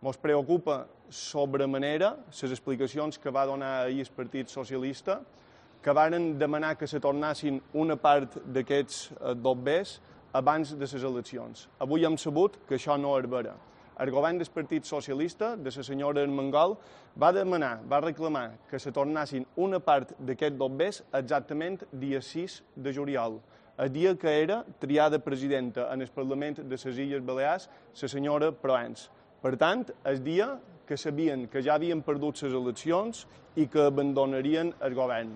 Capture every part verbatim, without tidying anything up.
Ens preocupa sobremanera les explicacions que va donar ahir el Partit Socialista, que varen demanar que se tornassin una part d'aquests dobbers abans de les eleccions. Avui hem sabut que això no és vera. El govern del Partit Socialista, de la senyora Armengol, va demanar, va reclamar que se tornassin una part d'aquests dobbers exactament dia sis de juliol, el dia que era triada presidenta en el Parlament de les Illes Balears la senyora Proens. Per tant, el dia que sabien que ja havien perdut les eleccions i que abandonarien el govern.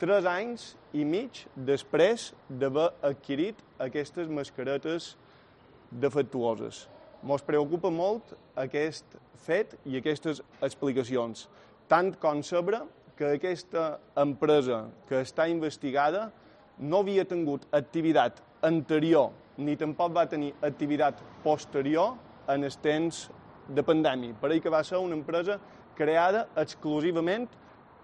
Tres anys i mig després d'haver adquirit aquestes mascaretes defectuoses. Ens preocupa molt aquest fet i aquestes explicacions, tant com saber que aquesta empresa que està investigada no havia tingut activitat anterior ni tampoc va tenir activitat posterior en els temps de pandèmia. Per que va ser una empresa creada exclusivament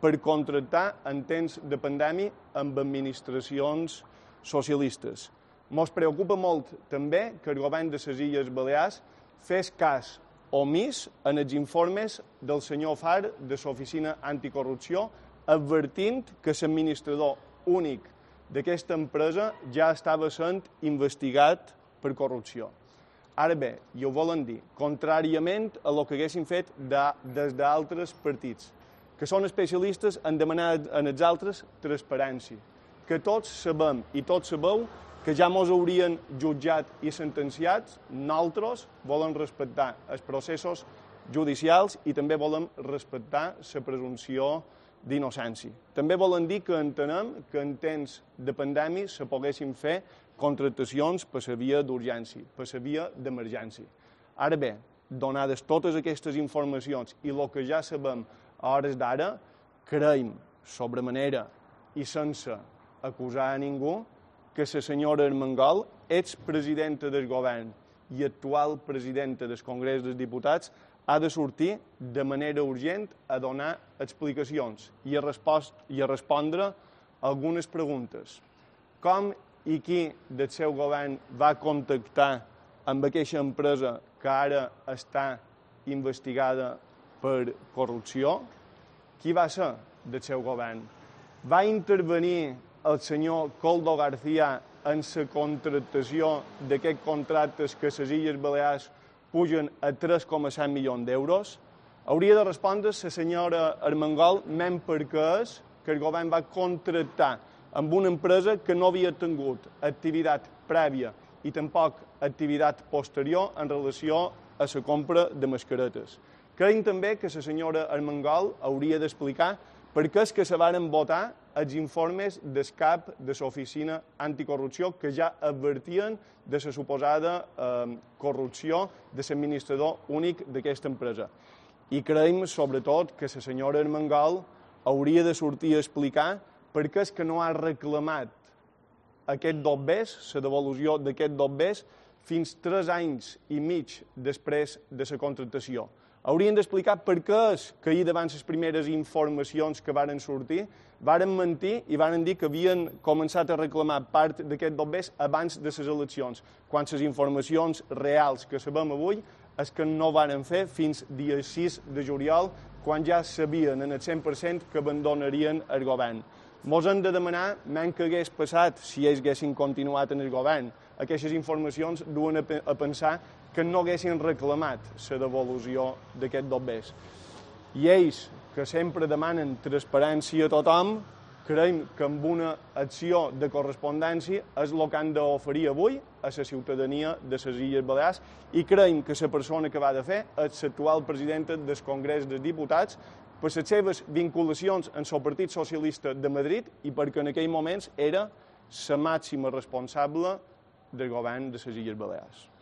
per contractar en temps de pandèmia amb administracions socialistes. Ens preocupa molt també que el govern de les Illes Balears fes cas omís en els informes del senyor Far de l'Oficina Anticorrupció, advertint que l'administrador únic d'aquesta empresa ja estava sent investigat per corrupció. Ara bé, i ho volen dir, contràriament a el que haguessin fet des d'altres partits, que són especialistes en demanar en els altres transparència, que tots sabem i tots sabeu que ja ens haurien jutjat i sentenciats, nosaltres volem respectar els processos judicials i també volem respectar la presumpció d'innocència. També volen dir que entenem que en temps de pandèmia se poguessin fer contractacions per la via d'urgència, per la via d'emergència. Ara bé, donades totes aquestes informacions i el que ja sabem a hores d'ara, creiem sobremanera i sense acusar a ningú que la senyora Armengol, expresidenta del govern i actual presidenta del Congrés dels Diputats, ha de sortir de manera urgent a donar explicacions i a, i a respondre algunes preguntes. Com i qui del seu govern va contactar amb aquesta empresa que ara està investigada per corrupció? Qui va ser del seu govern? Va intervenir el senyor Koldo García en la contractació d'aquests contractes que les Illes Balears pugen a tres coma set milions d'euros? Hauria de respondre la senyora Armengol menys perquè és que el govern va contractar amb una empresa que no havia tingut activitat prèvia i tampoc activitat posterior en relació a la compra de mascaretes. Creiem també que la senyora Armengol hauria d'explicar per què és que se varen votar els informes del cap de l'Oficina Anticorrupció que ja advertien de la suposada eh, corrupció de l'administrador únic d'aquesta empresa. I creiem, sobretot, que la senyora Armengol hauria de sortir a explicar per què és que no ha reclamat aquest dobbers, la devolució d'aquest dobbers, fins tres anys i mig després de la contractació. Haurien d'explicar per què és que ahir davant les primeres informacions que varen sortir varen mentir i varen dir que havien començat a reclamar part d'aquest dobbers abans de les eleccions, quan les informacions reals que sabem avui és que no varen fer fins dia sis de juliol, quan ja sabien en el cent per cent que abandonarien el govern. Ens hem de demanar menys que hagués passat si ells haguessin continuat en el govern. Aquestes informacions duen a pensar que no haguessin reclamat la devolució d'aquest dobbers. I ells, que sempre demanen transparència a tothom, creiem que amb una acció de correspondència és el que han d'oferir avui a la ciutadania de les Illes Balears i creiem que la persona que va de fer és l'actual presidenta del Congrés dels Diputats per les seves vinculacions amb el Partit Socialista de Madrid i perquè en aquells moments era la màxima responsable del govern de les Illes Balears.